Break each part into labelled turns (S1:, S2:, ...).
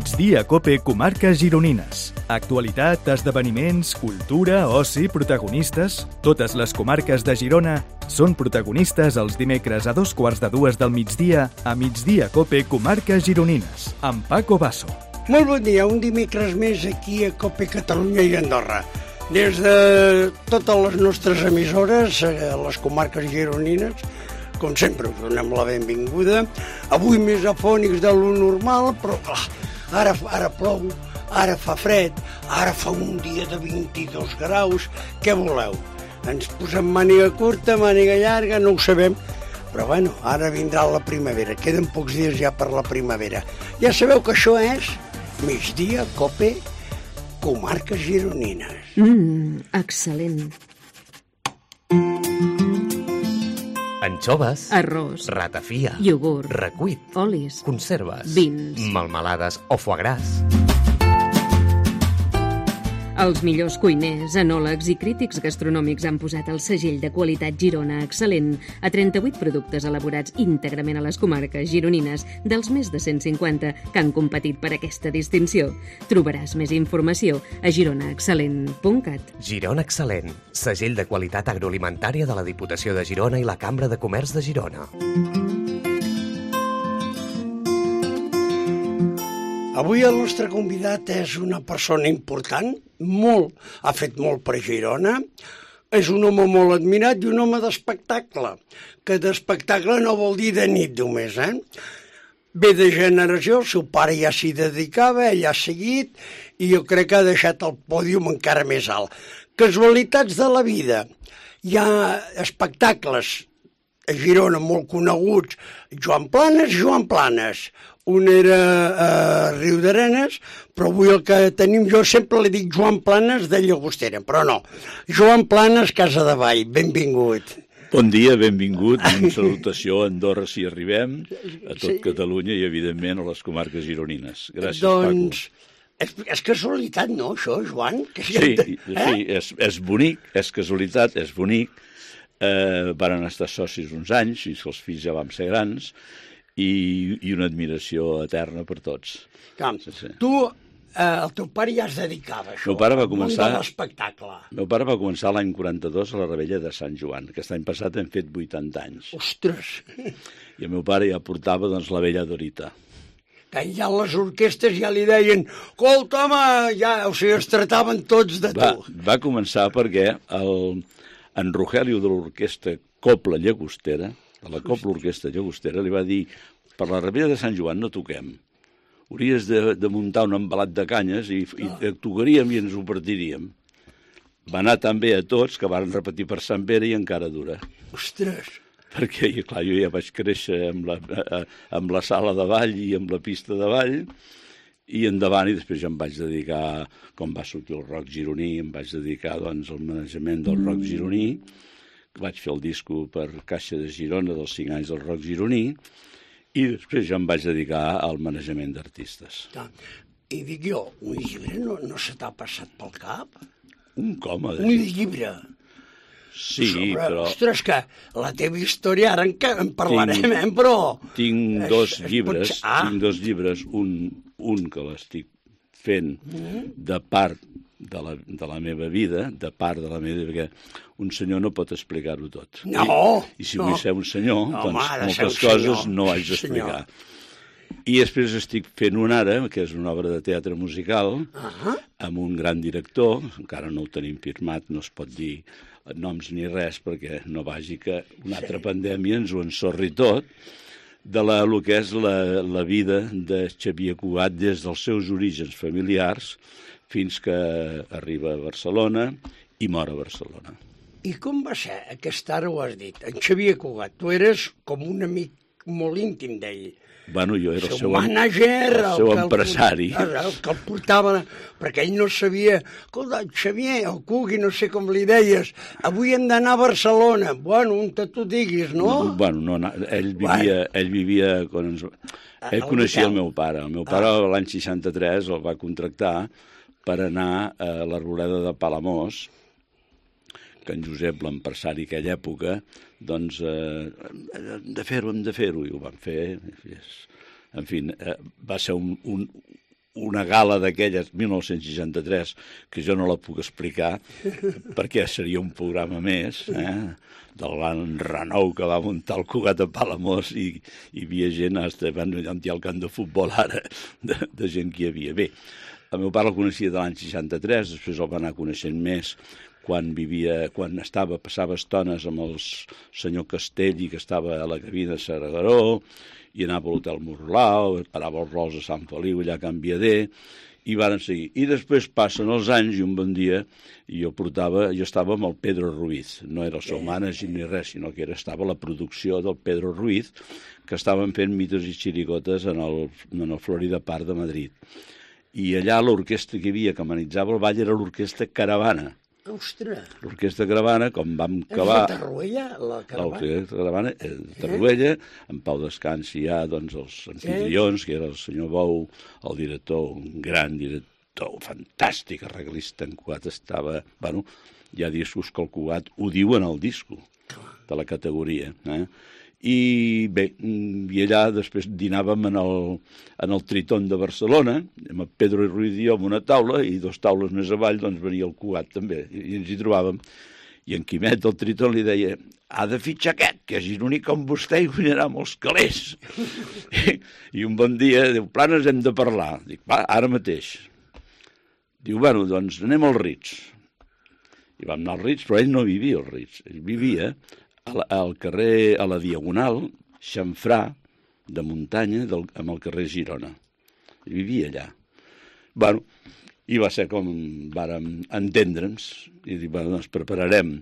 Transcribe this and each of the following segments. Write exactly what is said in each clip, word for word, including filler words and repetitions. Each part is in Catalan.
S1: Migdia Cope Comarques Gironines. Actualitat, esdeveniments, cultura, oci, protagonistes... Totes les comarques de Girona són protagonistes els dimecres a dos quarts de dues del migdia a Migdia Cope Comarques Gironines, amb Paco Basso.
S2: Molt bon dia, un dimecres més aquí a Cope Catalunya i Andorra. Des de totes les nostres emissores, a les comarques gironines, com sempre, us donem la benvinguda. Avui més afònics de lo normal, però clar, ara, ara plou, ara fa fred, ara fa un dia de vint-i-dos graus. Què voleu? Ens posem màniga curta, màniga llarga, no ho sabem. Però bueno, ara vindrà la primavera. Queden pocs dies ja per la primavera. Ja sabeu que això és Migdia Cope Comarques Gironines.
S3: Mmm, excel·lent.
S4: Anxoves,
S3: Arròs,
S4: ratafia,
S3: iogurt,
S4: recuit,
S3: olis,
S4: conserves,
S3: vins,
S4: melmelades o foie gras.
S3: Els millors cuiners, enòlegs i crítics gastronòmics han posat el segell de qualitat Girona excel·lent a trenta-vuit productes elaborats íntegrament a les comarques gironines dels més de cent cinquanta que han competit per aquesta distinció. Trobaràs més informació a girona excel·lent punt cat.
S4: Girona Excel·lent, segell de qualitat agroalimentària de la Diputació de Girona i la Cambra de Comerç de Girona.
S2: Avui el nostre convidat és una persona important, molt, ha fet molt per Girona, és un home molt admirat i un home d'espectacle, que d'espectacle no vol dir de nit només, eh? Ve de generació, el seu pare ja s'hi dedicava, ell ha seguit, i jo crec que ha deixat el pòdium encara més alt. Casualitats de la vida. Hi ha espectacles a Girona molt coneguts, Joan Planes, Joan Planes. Un era a Riudarenes, però avui el que tenim, jo sempre li dic Joan Planes de Llagostera, però no. Joan Planes, Casa de Vall, benvingut.
S5: Bon dia, benvingut, una salutació a Andorra si arribem, a tot sí. Catalunya i evidentment a les comarques gironines. Gràcies,
S2: doncs,
S5: Paco.
S2: És, és casualitat, no, això, Joan? Que
S5: sí, eh? sí és, és bonic, és casualitat, és bonic. Eh, varen estar socis uns anys, fins que els fills ja vam ser grans, i, i una admiració eterna per tots.
S2: Clar, sí, sí. Tu, eh, el teu pare ja es dedicava a això,
S5: meu pare va començar,
S2: al món de l'espectacle.
S5: Meu pare va començar l'any quaranta-dos a la Rebella de Sant Joan. Aquest any passat hem fet vuitanta anys.
S2: Ostres!
S5: I el meu pare ja portava doncs, la vella Dorita.
S2: Que ja les orquestes ja li deien escolta, home, ja, o sigui, es tractaven tots de tu.
S5: Va, va començar perquè el, en Rogelio de l'orquestra Copla Llagostera, de la Copla Orquestra Llagostera, li va dir per la Rebella de Sant Joan no toquem. Hauries de, de muntar un embalat de canyes i, i tocaríem i ens ho partiríem. Va anar tan bé a tots que van repetir per Sant Pere i encara dura.
S2: Ostres!
S5: Perquè, clar, jo ja vaig créixer amb la, amb la sala de ball i amb la pista de ball i endavant, i després ja em vaig dedicar, com va sortir el rock gironí, em vaig dedicar doncs, al manejament del rock gironí. Vaig fer el disco per Caixa de Girona dels cinc anys del rock gironí i després ja em vaig dedicar al manejament d'artistes.
S2: I dic jo, un llibre no, no se t'ha passat pel cap?
S5: Un com?
S2: Un llibre?
S5: Sí,
S2: sobre,
S5: però...
S2: Ostres, que la teva història ara en, en parlarem,
S5: tinc,
S2: eh? Però...
S5: Tinc dos
S2: es,
S5: llibres,
S2: es ah.
S5: tinc dos llibres, un, un que l'estic fent de part de la, de la meva vida, de part de la meva vida, perquè un senyor no pot explicar-ho tot.
S2: No!
S5: I, i si
S2: no.
S5: vull ser un senyor,
S2: no,
S5: doncs
S2: home,
S5: moltes coses
S2: senyor.
S5: no haig d'explicar. I després estic fent un ara, que és una obra de teatre musical, uh-huh. amb un gran director, encara no ho tenim firmat, no es pot dir noms ni res, perquè no vagi que una altra sí. pandèmia ens ho ensorri tot, de la, el que és la, la vida de Xavier Cugat des dels seus orígens familiars fins que arriba a Barcelona i mor a Barcelona.
S2: I com va ser? Aquesta ara ho has dit. En Xavier Cugat, tu eres com un amic molt íntim d'ell.
S5: Bueno, jo era el seu,
S2: mànager,
S5: el seu el empresari.
S2: El, el que el portava, perquè ell no sabia, escolta, Xavier, el Cugui, no sé com li deies, avui hem d'anar a Barcelona. Bueno, on te tu diguis, no?
S5: no bueno, no, ell vivia... Bueno. Ell vivia quan ens... Ell coneixia el meu pare. El meu pare ah. l'any seixanta-tres el va contractar per anar a la Roleda de Palamós, que en Josep, l'empresari aquella època, doncs, eh, hem de fer-ho, hem de fer-ho, i ho vam fer. En fi, eh, va ser un, un, una gala d'aquelles, mil nou-cents seixanta-tres, que jo no la puc explicar, perquè seria un programa més, eh? del gran renou que va muntar el Cugat a Palamós, i hi havia gent, hasta van ampliar el camp de futbol ara, de, de gent que hi havia. Bé, el meu pare el coneixia de l'any seixanta-tres, després el va anar coneixent més, quan vivia, quan estava, passava estones amb el senyor Castelli, que estava a la cabina de Saragaró, i anava a l'Hotel Morlau, parava els rols a Sant Feliu, allà a Can Viader, i varen seguir. I després passen els anys, i un bon dia jo portava, jo estava amb el Pedro Ruiz, no era el seu mànager ni res, sinó que era, estava a la producció del Pedro Ruiz, que estaven fent mitos i xirigotes en el, en el Florida Park de Madrid. I allà l'orquestra que hi havia, que amenitzava el ball, era l'orquestra Caravana.
S2: Ostres!
S5: L'orquestra Caravana, com vam acabar...
S2: És de Tarruella, la Caravana?
S5: L'orquestra Caravana, eh, de Tarruella, en Pau Descansi hi ha doncs, els anfitrions, que era el senyor Bou, el director, un gran director, fantàstic, arreglista en Cugat, estava... Bueno, hi ha discos que el Cugat ho diuen al disco, de la categoria, eh? I bé, i allà després dinàvem en el, en el Tritón de Barcelona, amb el Pedro Ruiz i jo en una taula, i dos taules més avall doncs venia el Cugat també, i ens hi trobàvem. I en Quimet del Tritón li deia: ha de fitxar aquest, que és gironí com vostè i guanyarà molts calés. I, I un bon dia diu: Planes, hem de parlar. Dic: va, ara mateix. Diu: bueno, doncs anem als Rits. I vam anar als Rits, però ell no vivia als Rits, ell vivia al carrer, a la Diagonal, xamfrà de muntanya del, amb el carrer Girona. I vivia allà. Bueno, i va ser com vàrem entendre'ns, i dir, bueno, ens prepararem,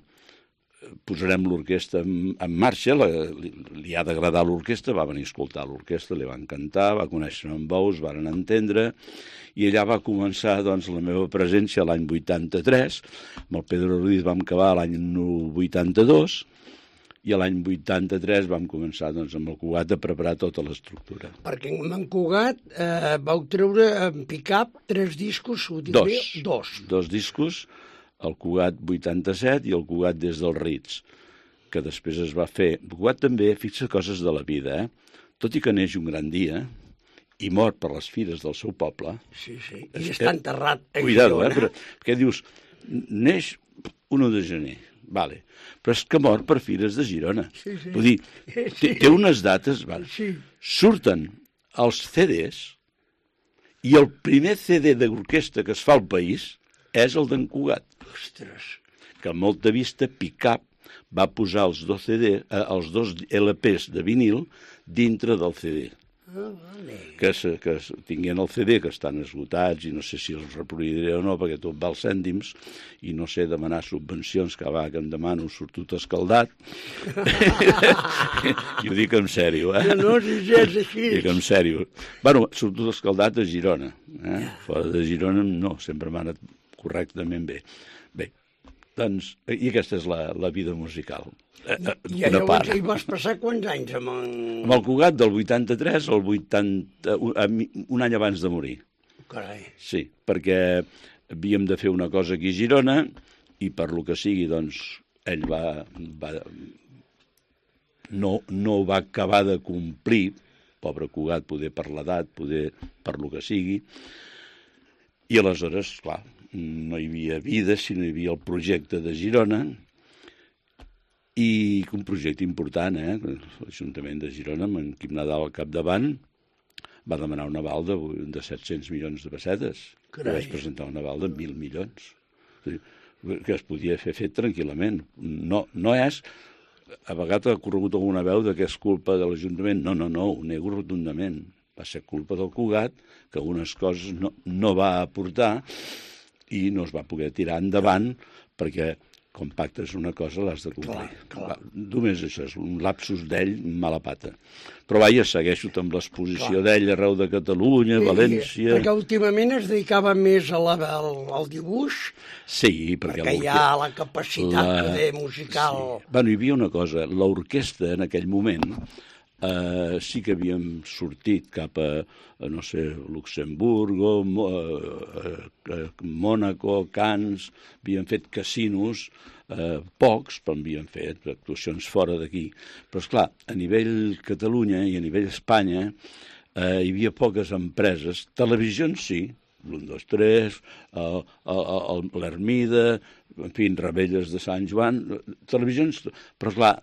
S5: posarem l'orquestra en, en marxa, la, li, li ha d'agradar l'orquestra, va venir a escoltar l'orquestra, li va encantar, va conèixer en Bous, varen entendre, i allà va començar doncs, la meva presència l'any vuitanta-tres, amb el Pedro Ruiz vam acabar l'any vuitanta-dos, i l'any vuitanta-tres vam començar doncs, amb el Cugat a preparar tota l'estructura.
S2: Perquè amb en Cugat eh, vau treure en pick-up tres discos, ho dic
S5: dos,
S2: bé? Dos.
S5: Dos discos, el Cugat vuitanta-set i el Cugat des dels Rits, que després es va fer. El Cugat també fixa coses de la vida, eh? Tot i que neix un gran dia i mor per les fires del seu poble.
S2: Sí, sí, i està enterrat a
S5: Cuidado,
S2: Girona.
S5: eh? Però, perquè dius, neix l'u de gener, vale, però és que mor per fires de Girona.
S2: Sí, sí.
S5: Vull dir, té, té unes dates, vale.
S2: Sí.
S5: Surten els ce des i el primer ce de d'orquestra que es fa al país és el d'en Cugat.
S2: Ostres.
S5: Que a Molta Vista, Pick-up, va posar els dos, ce de, eh, els dos ele pes de vinil dintre del ce de.
S2: Ah, vale.
S5: Que, se, que tinguin el ce de, que estan esgotats, i no sé si els reproduiré o no, perquè tot val cèntims, i no sé demanar subvencions, que va, que em demano, surt tot escaldat. I ho dic en sèrio, eh?
S2: No, no, si és així.
S5: Dic en sèrio. Bueno, surt tot escaldat a Girona. Eh? Fora de Girona, no, sempre m'ha anat correctament bé. Bé, doncs, i aquesta és la, la vida musical.
S2: I llavors hi vas passar quants anys amb en...
S5: Amb el Cugat del vuitanta-tres al vuitanta... un any abans de morir.
S2: Carai.
S5: Sí, perquè havíem de fer una cosa aquí a Girona i per lo que sigui, doncs, ell va... va no, no va acabar de complir, pobre Cugat, poder per l'edat, poder per lo que sigui, i aleshores, clar, no hi havia vida, sinó hi havia el projecte de Girona, i un projecte important, eh? L'Ajuntament de Girona, amb en Quim Nadal al capdavant, va demanar un aval de, de set-cents milions de pessetes. Carai. I vaig presentar un aval de mil milions. Que es podia fer fet tranquil·lament. No, no és... A vegades ha corregut alguna veu de que és culpa de l'Ajuntament. No, no, no, ho nego rotundament. Va ser culpa del Cugat, que algunes coses no, no va aportar i no es va poder tirar endavant perquè quan pactes una cosa l'has de complir.
S2: Clar, clar.
S5: Va, només això, és un lapsus d'ell, mala pata. Però vaja, segueixo amb l'exposició d'ell arreu de Catalunya,
S2: I,
S5: València...
S2: Perquè últimament es dedicava més a la, al, al dibuix,
S5: Sí, perquè...
S2: perquè hi ha la capacitat la... de musical...
S5: Sí. Bueno, hi havia una cosa, l'orquestra en aquell moment eh, sí que havíem sortit cap a, a no sé, Luxemburgo, Mo, eh, eh, Mònaco, Cannes, havíem fet casinos, eh, pocs, però havíem fet actuacions fora d'aquí. Però, esclar, a nivell Catalunya i a nivell Espanya eh, hi havia poques empreses. Televisions sí, l'un, dos, tres, l'Ermida, en fi, Rebelles de Sant Joan, televisions, però clar,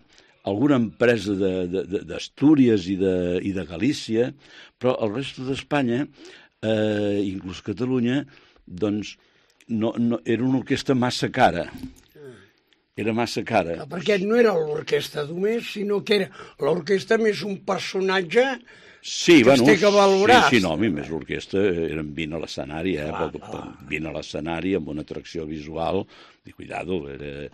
S5: alguna empresa d'Astúries i, de, i de Galícia, però el resto d'Espanya, eh, inclús Catalunya, doncs no, no, era una orquestra massa cara. Era massa cara.
S2: Perquè no era l'orquestra només, sinó que era l'orquestra més un personatge
S5: sí,
S2: que
S5: bueno,
S2: es té que valorar.
S5: Sí, sí, no, a mi més l'orquestra eren vint a l'escenari, eh? Clar, clar. vint a l'escenari amb una atracció visual, i cuidado, era...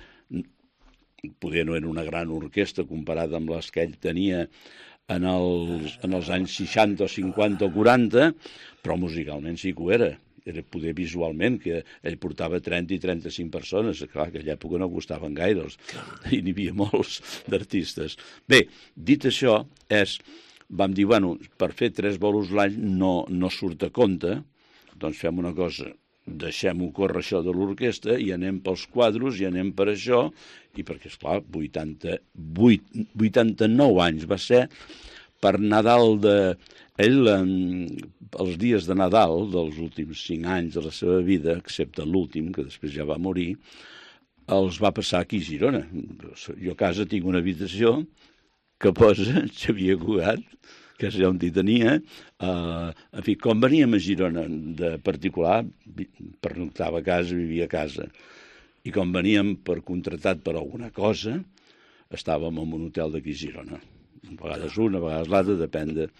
S5: poder no era una gran orquestra comparada amb les que ell tenia en els, en els anys seixanta o cinquanta o quaranta, però musicalment sí que ho era. Era poder visualment, que ell portava trenta i trenta-cinc persones, clar, que a aquella època no costaven gaire, i n'hi havia molts d'artistes. Bé, dit això, és, vam dir, bueno, per fer tres bolos l'any no, no surt a compte, doncs fem una cosa, deixem-ho córrer això de l'orquestra i anem pels quadros i anem per això, i perquè, esclar, vuitanta-vuit, vuitanta-nou anys va ser per Nadal de... Ell, els dies de Nadal dels últims cinc anys de la seva vida, excepte l'últim, que després ja va morir, els va passar aquí a Girona. Jo a casa tinc una habitació que posa Xavier Cugat, que és allà on hi tenia. Uh, en fi, quan veníem a Girona de particular, pernoctava a casa, vivia a casa. I quan veníem per contratat per alguna cosa, estàvem en un hotel d'aquí a Girona. A vegades una, a vegades l'altra, depèn de...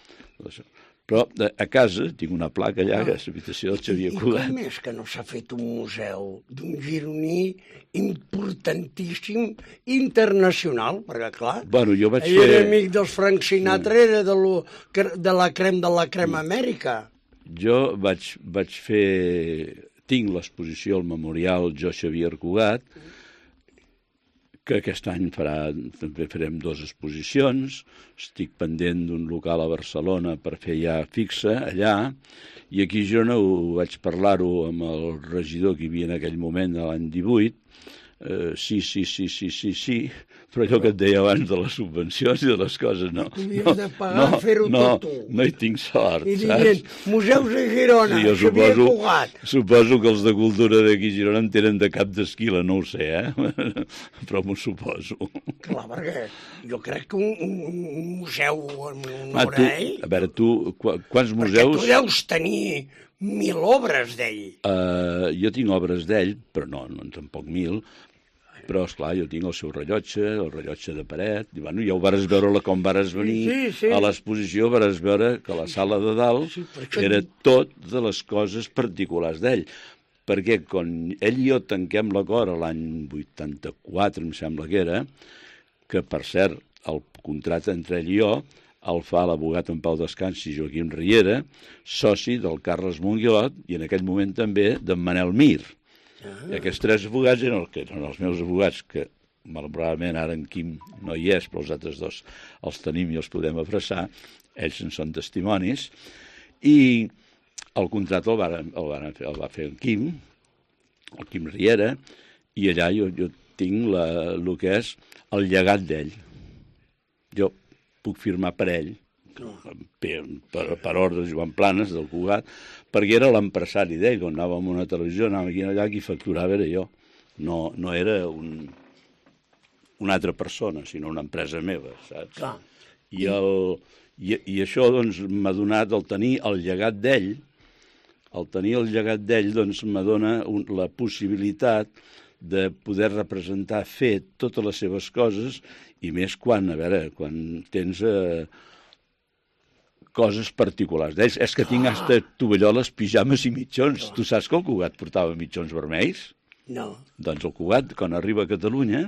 S5: Però a casa tinc una placa allà, que és l'habitació del Xavier Cugat.
S2: I com és que no s'ha fet un museu d'un gironí importantíssim, internacional? Perquè, clar,
S5: bueno, jo vaig
S2: ell
S5: fer...
S2: era amic dels Frank Sinatra, sí. Era de, lo, de la crem de la crem Amèrica.
S5: Jo vaig, vaig fer... Tinc l'exposició al Memorial Jo Xavier Cugat, que aquest any farà, també farem dues exposicions. Estic pendent d'un local a Barcelona per fer ja fixa allà, i aquí a Girona ho vaig parlar-ho amb el regidor que hi havia en aquell moment, de l'any divuit. Uh, sí, sí, sí, sí, sí, sí, però allò que et deia abans de les subvencions i de les coses, no.
S2: Havies de pagar no, fer-ho
S5: no,
S2: tot tu.
S5: No hi tinc sort,
S2: I dient, museus de Girona,
S5: sí,
S2: Xavier
S5: suposo,
S2: Cugat.
S5: Suposo que els de cultura d'aquí a Girona en tenen de cap d'esquila, no ho sé, eh? Però m'ho suposo.
S2: Clar, perquè jo crec que un, un, un museu en
S5: honor
S2: a ell...
S5: A veure, tu, qu quants museus...
S2: Perquè tu deus tenir mil obres d'ell.
S5: Uh, jo tinc obres d'ell, però no, no tampoc mil. Però, esclar, jo tinc el seu rellotge, el rellotge de paret, i bueno, ja ho vares veure com vares venir
S2: sí, sí.
S5: a l'exposició, vares veure que la sala de dalt sí, era tot de les coses particulars d'ell. Perquè quan ell i jo tanquem l'acord l'any vuitanta-quatre, em sembla que era, que, per cert, el contracte entre ell i jo el fa l'abogat en Pau Descansi, Joaquim Riera, soci del Carles Monguilot, i en aquell moment també d'en Manel Mir. Ah. I aquests tres abogats eren, que eren els meus abogats, que malauradament ara en Quim no hi és, però els altres dos els tenim i els podem abraçar, ells en són testimonis, i el contracte el, varen, el, varen fer, el va fer en Quim, el Quim Riera, i allà jo, jo tinc la, el que és el llegat d'ell. Jo puc firmar per ell, per, per, per ordre de Joan Planes, del Cugat, perquè era l'empresari d'ell. Quan anàvem a una televisió, anàvem aquí allà, qui facturava era jo. No, no era un, una altra persona, sinó una empresa meva, saps? Clar. I, el, i, i això doncs, m'ha donat el tenir el llegat d'ell, el tenir el llegat d'ell doncs, m'ha donat un, la possibilitat de poder representar, fer totes les seves coses, i més quan, a veure, quan tens... Eh, coses particulars d'ells. És que tinc hasta tovalloles, pijames i mitjons. Tu saps que el Cugat portava mitjons vermells?
S2: No.
S5: Doncs el Cugat, quan arriba a Catalunya,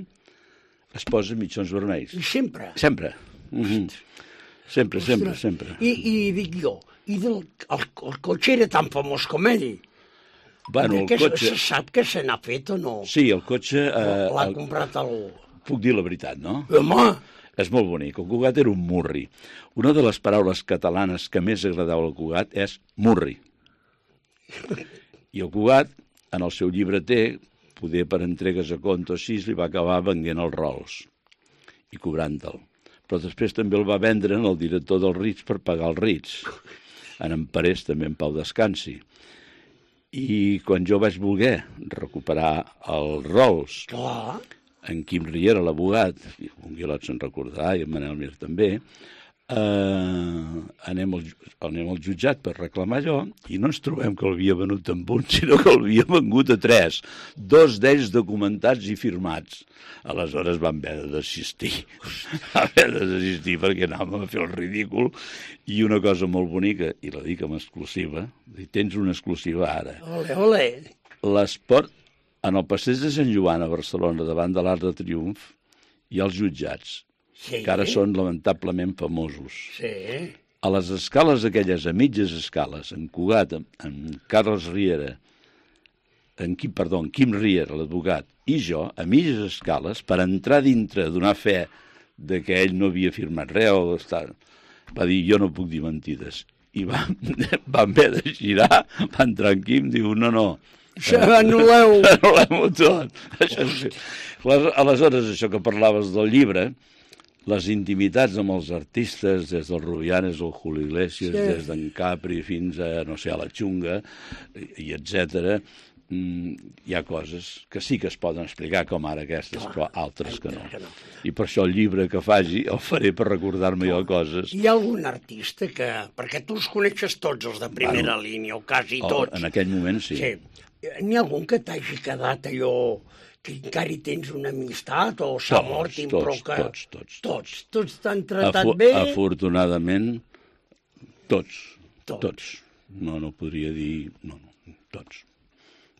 S5: es posa mitjons vermells.
S2: I sempre?
S5: Sempre. Mm-hmm. Sempre, Ostres. sempre, sempre.
S2: I, i dic jo, i del, el, el cotxe era tan famós com ell?
S5: Bueno, el
S2: que
S5: cotxe...
S2: Se sap que se n'ha fet o no?
S5: Sí, el cotxe... Eh,
S2: L'ha
S5: el...
S2: comprat algú.
S5: Puc dir la veritat, no?
S2: Home!
S5: És molt bonic. El Cugat era un murri. Una de les paraules catalanes que més agradava al Cugat és murri. I el Cugat, en el seu llibreter, poder per entregues a compte o així, li va acabar venguent els rols i cobrant-te'l. Però després també el va vendre en el director del Ritz per pagar els Ritz. en Emparés també en pau descansi. I quan jo vaig voler recuperar els rols,
S2: Clar.
S5: en Quim Riera, l'abogat, i un Guilot se'n recordarà, i en Manel Mir també, eh, anem, al, anem al jutjat per reclamar allò, i no ens trobem que l'havia venut amb un, sinó que l'havia vengut a tres, dos d'ells documentats i firmats. Aleshores vam haver de desistir, vam haver de desistir perquè anàvem a fer el ridícul, i una cosa molt bonica, i la dic amb exclusiva, i tens una exclusiva ara.
S2: Ole, ole.
S5: L'esport, en el passeig de Sant Joan a Barcelona, davant de l'Arc de Triomf, hi ha els jutjats,
S2: Sí.
S5: que ara són lamentablement famosos.
S2: Sí.
S5: A les escales aquelles, a mitges escales, en Cugat, en, en Carles Riera, en Quim, perdó, en Quim Riera, l'advocat, i jo, a mitges escales, per entrar dintre, donar fe de que ell no havia firmat res, o estar, va dir, jo no puc dir mentides. I vam, vam haver de girar, va entrar en Quim, diu, no, no,
S2: Se anul·leu.
S5: anul·lem-ho tot. Això sí. Aleshores, això que parlaves del llibre, les intimitats amb els artistes, des del Rubianes al Julio Iglesias, sí. des d'en Capri fins a, no sé, a la Xunga, i etcètera, hi ha coses que sí que es poden explicar, com ara aquestes, però altres que no. I per això el llibre que faci el faré per recordar-me jo coses.
S2: Hi ha algun artista que... Perquè tu els coneixes tots, els de primera bueno, línia, o quasi tots.
S5: En aquell moment sí.
S2: Sí. N'hi ha algun que t'hagi quedat allò que encara hi tens una amistat o s'ha mort i però que...
S5: Tots, tots.
S2: Tots, tots t'han tratat
S5: Afu
S2: bé?
S5: Afortunadament, tots.
S2: Tots.
S5: Tots. No, no podria dir... No, no, tots.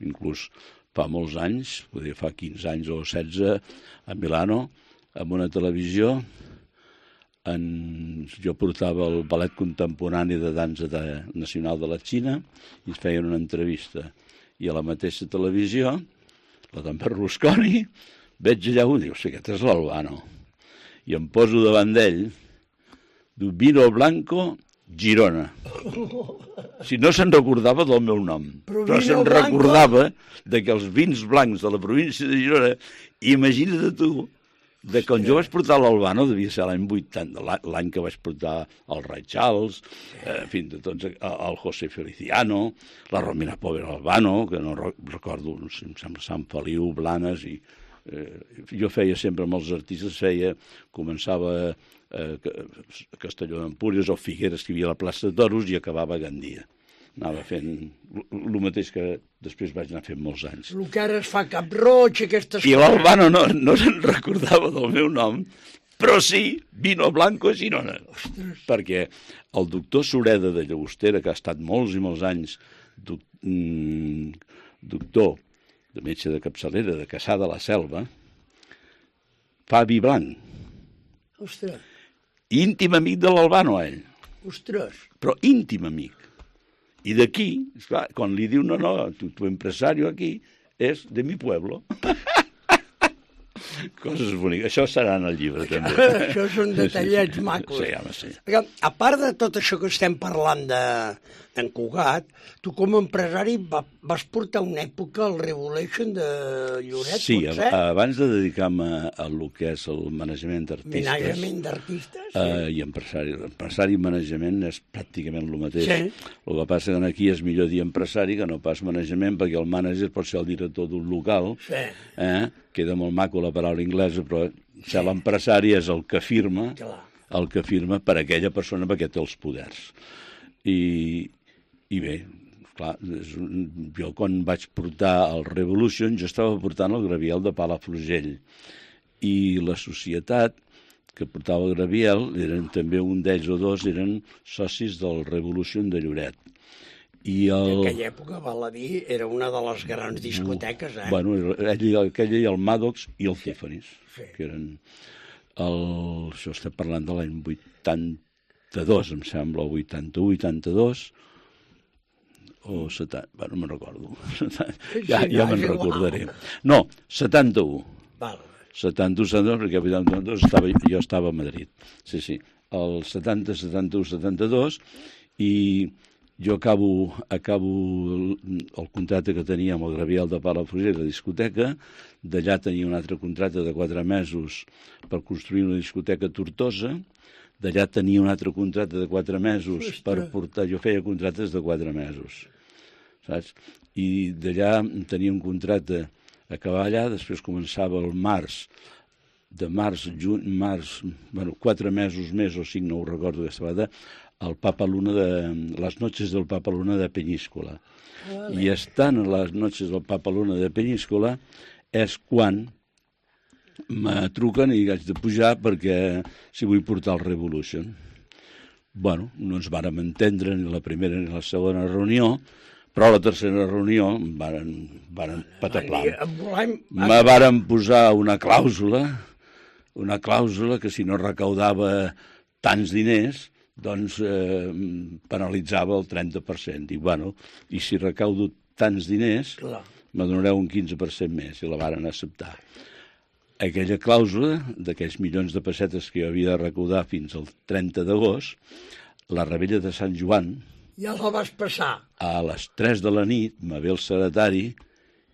S5: Inclús fa molts anys, podria fa quinze anys o setze, a Milano, amb una televisió, en... jo portava el ballet contemporani de dansa de... nacional de la Xina i es feien una entrevista. I a la mateixa televisió, la d'en Berlusconi, veig allà un i diu, sí, aquest és l'Albano. I em poso davant d'ell, diu, Vino Blanco, Girona. Si no se'n recordava del meu nom, però, però se'n recordava de que els vins blancs de la província de Girona, imagina't tu, de quan jo vaig portar l'Albano, devia ser l'any vuitanta, l'any que vaig portar el Ray Charles, eh, en fi, de tots, el José Feliciano, la Romina Pobre Albano, que no recordo, no sé, em sembla Sant Feliu, Blanes, i eh, jo feia sempre amb els artistes, feia, començava eh, a Castelló d'Empúries o Figueres, que hi havia a la plaça de Toros, i acabava a Gandia. Anava fent el mateix que després vaig anar fent molts anys.
S2: El que ara es fa Cap Roig, aquestes
S5: coses. I l'Albano no, no se'n recordava del meu nom, però sí, Vino Blanco a Girona. Ostres. Perquè el doctor Sureda de Llagostera, que ha estat molts i molts anys doc, mm, doctor de metge de capçalera de Cassà de la Selva, fa vi blanc.
S2: Ostres.
S5: Íntim amic de l'Albano, ell.
S2: Ostres.
S5: Però íntim amic. I d'aquí, esclar, quan li diu, no, no, tu, tu empresario aquí, és de mi pueblo. Coses boniques. Això serà en el llibre, també.
S2: Això són detallets sí, macos.
S5: Sí, home, sí.
S2: Perquè, a part de tot això que estem parlant de d'en Cugat, tu com a empresari va, vas portar una època al Revolution de Lloret,
S5: sí,
S2: potser?
S5: Sí, abans de dedicar-me a el que és el manejament d'artistes...
S2: Manejament d'artistes, sí.
S5: Eh, I empresari. Empresari i manejament és pràcticament el mateix.
S2: Sí.
S5: El que passa que aquí és millor dir empresari que no pas manejament, perquè el mànager pot ser el director d'un local,
S2: sí.
S5: eh? Queda molt maco la paraula anglesa, però sí. L'empresari és el que firma, Clar. el que firma per aquella persona perquè té els poders. I... I bé, clar, jo quan vaig portar el Revolution, jo estava portant el Graviel de Palafrugell. I la societat que portava el Graviel, eren també un d'ells o dos, eren socis del Revolution de Lloret. I el...
S2: En aquella època, val a dir, era una de les grans discoteques, eh?
S5: Bueno, ell, aquella i el Maddox i el Tiffany's,
S2: sí.
S5: que eren... El... Això estem parlant de l'any vuitanta-dos, em sembla, o vuitanta-u, vuitanta-dos, o setanta, bueno, no me'n recordo. ja ja me'n recordaré. No, setanta-u.
S2: Val.
S5: setanta-u, setanta-dos, perquè el vuitanta-dos estava, jo estava a Madrid. Sí, sí. El setanta, setanta-u, setanta-dos, i jo acabo, acabo el, el contracte que tenia amb el Graviel de Palafrugell, la discoteca, d'allà tenia un altre contracte de quatre mesos per construir una discoteca a Tortosa, d'allà tenia un altre contracte de quatre mesos per portar... Jo feia contractes de quatre mesos, saps? I d'allà tenia un contracte, acabava allà, després començava el març, de març, juny, març, bueno, quatre mesos més o cinc, no ho recordo aquesta vegada, el Papa Luna de... les noches del Papa Luna de Peñíscola. Vale. I estant a les noches del Papa Luna de Peñíscola és quan me truquen i haig de pujar perquè si vull portar el Revolution. Bueno, no ens vàrem entendre ni la primera ni la segona reunió, però a la tercera reunió varen, varen pataplam. Me varen posar una clàusula, una clàusula que si no recaudava tants diners, doncs eh, penalitzava el trenta per cent. I, bueno, i si recaudo tants diners, me donareu un quinze per cent més, i la varen acceptar. Aquella clàusula d'aquells milions de pessetes que jo havia de recaudar fins al trenta d'agost, la rebella de Sant Joan...
S2: Ja la vas passar. A
S5: les tres de la nit me ve el secretari i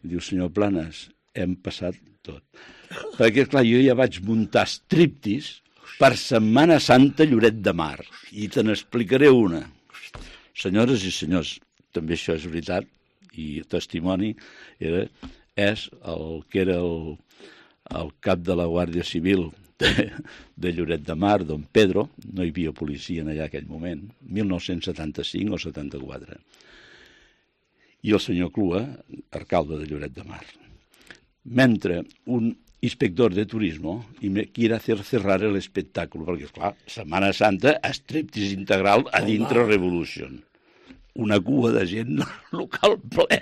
S5: diu, senyor Planes, hem passat tot. Perquè, clar, jo ja vaig muntar striptease per Setmana Santa Lloret de Mar. I te n'explicaré una. Senyores i senyors, també això és veritat, i testimoni, era, és el que era el, el cap de la Guàrdia Civil de, de Lloret de Mar, don Pedro, no hi havia policia en allà aquell moment, mil nou-cents setanta-cinc o setanta-quatre. I el senyor Clua, alcalde de Lloret de Mar. Mentre un inspector de turismo y me quiere hacer cerrar el espectáculo, perquè, esclar, Setmana Santa, striptease integral a dintre Revolution. Una cua de gent local ple.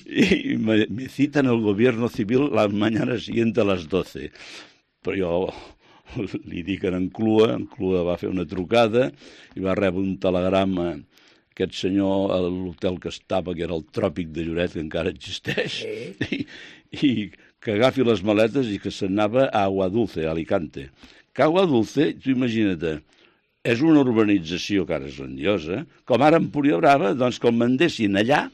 S5: Y me, me citan el gobierno civil la mañana siguiente a les doce. Però jo li dic en Clua, en Clua va fer una trucada i va rebre un telegrama. Aquest senyor, a l'hotel que estava, que era el Tròpic de Lloret, que encara existeix, sí. i, i que agafi les maletes i que se'n anava a Aguadulce, a Alicante. Que Aguadulce, tu imagina't, és una urbanització que ara és grandiosa, com ara Empúria Brava, doncs que el mandessin allà,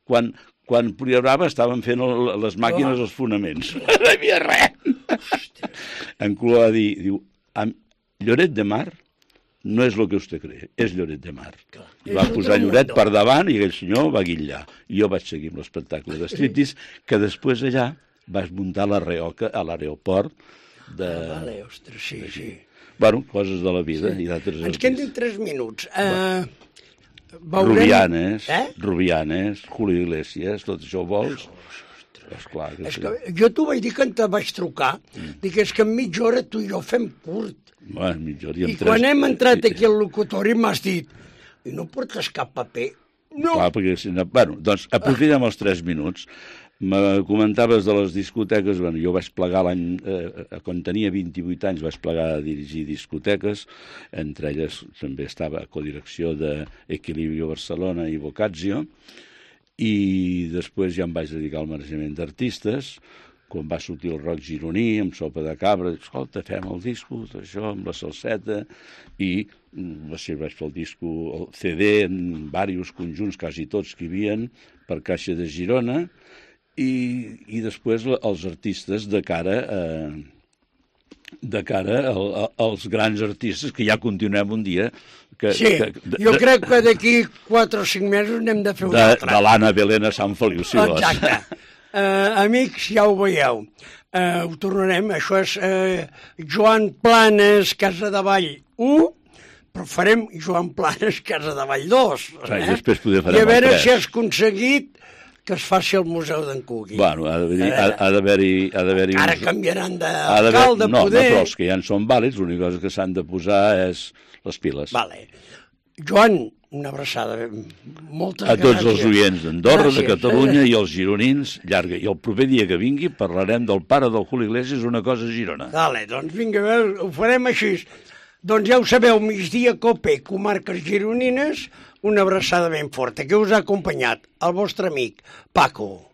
S5: quan, quan Empúria Brava estaven fent el, les màquines als fonaments. No hi havia res. En Clua va dir, diu, Lloret de Mar no és el que vostè cree, és Lloret de Mar. Clar. I va posar Lloret per davant i aquell senyor va guillar. I jo vaig seguir amb l'espectacle de striptease, que després allà vaig muntar la reoca a l'aeroport de...
S2: Ah, vale, ostres, sí, sí.
S5: Bueno, coses de la vida.
S2: Sí.
S5: I d'altres...
S2: Ens queden tres minuts. Uh,
S5: veurem... Rubianes, eh? Rubianes, Julio Iglesias, tot això ho vols? Esclar, que
S2: és
S5: sí.
S2: que jo t'ho vaig dir que te vaig trucar, mm. dic, és que en mitja hora tu i jo fem curt.
S5: Bueno, mitja hora i,
S2: I
S5: tres...
S2: quan hem entrat aquí al locutori m'has dit, i no portes cap paper? No.
S5: Clar, perquè si no... Bueno, doncs aprofitem els tres minuts. Me comentaves de les discoteques. Bueno, jo vaig plegar l'any... Eh, quan tenia vint-i-vuit anys vaig plegar a dirigir discoteques. Entre elles també estava a codirecció d'Equilibrio Barcelona i Boccaccio. I després ja em vaig dedicar al manejament d'artistes, quan va sortir el rock gironí, amb sopa de cabra, escolta, fem el disco, això, amb la salseta, i va ser, vaig fer el disco, el C D, en diversos conjunts, quasi tots que hi havia, per Caixa de Girona, i, i després els artistes de cara a... de cara al, a, als grans artistes, que ja continuem un dia... Que,
S2: sí,
S5: que, de,
S2: jo crec que d'aquí quatre o cinc mesos n'hem de fer un
S5: de,
S2: altre.
S5: De l'Anna Belén a Sant Feliu, si vols.
S2: Exacte. Uh, amics, ja ho veieu. Uh, ho tornarem. Això és uh, Joan Planes, Casa de Vall u, però farem Joan Planes, Casa de Vall dos.
S5: Eh? I
S2: després
S5: poder farem
S2: I a veure
S5: si
S2: has aconseguit que es faci el Museu d'en Cugui.
S5: Bueno, ha d'haver-hi...
S2: Ara uns... canviaran d'alcalde,
S5: no,
S2: poder...
S5: No, però els que ja en són vàlids, l'única cosa que s'han de posar és les piles.
S2: Vale. Joan, una abraçada. Moltes
S5: gràcies. A tots
S2: gràcies.
S5: Els oients d'Andorra, de Catalunya i els gironins, llarga. I el proper dia que vingui parlarem del pare del Julio Iglesias, una cosa a Girona.
S2: Vale, doncs vinga, ho farem així. Doncs ja ho sabeu, migdia Cope, comarques gironines, una abraçada ben forta, que us ha acompanyat el vostre amic Paco.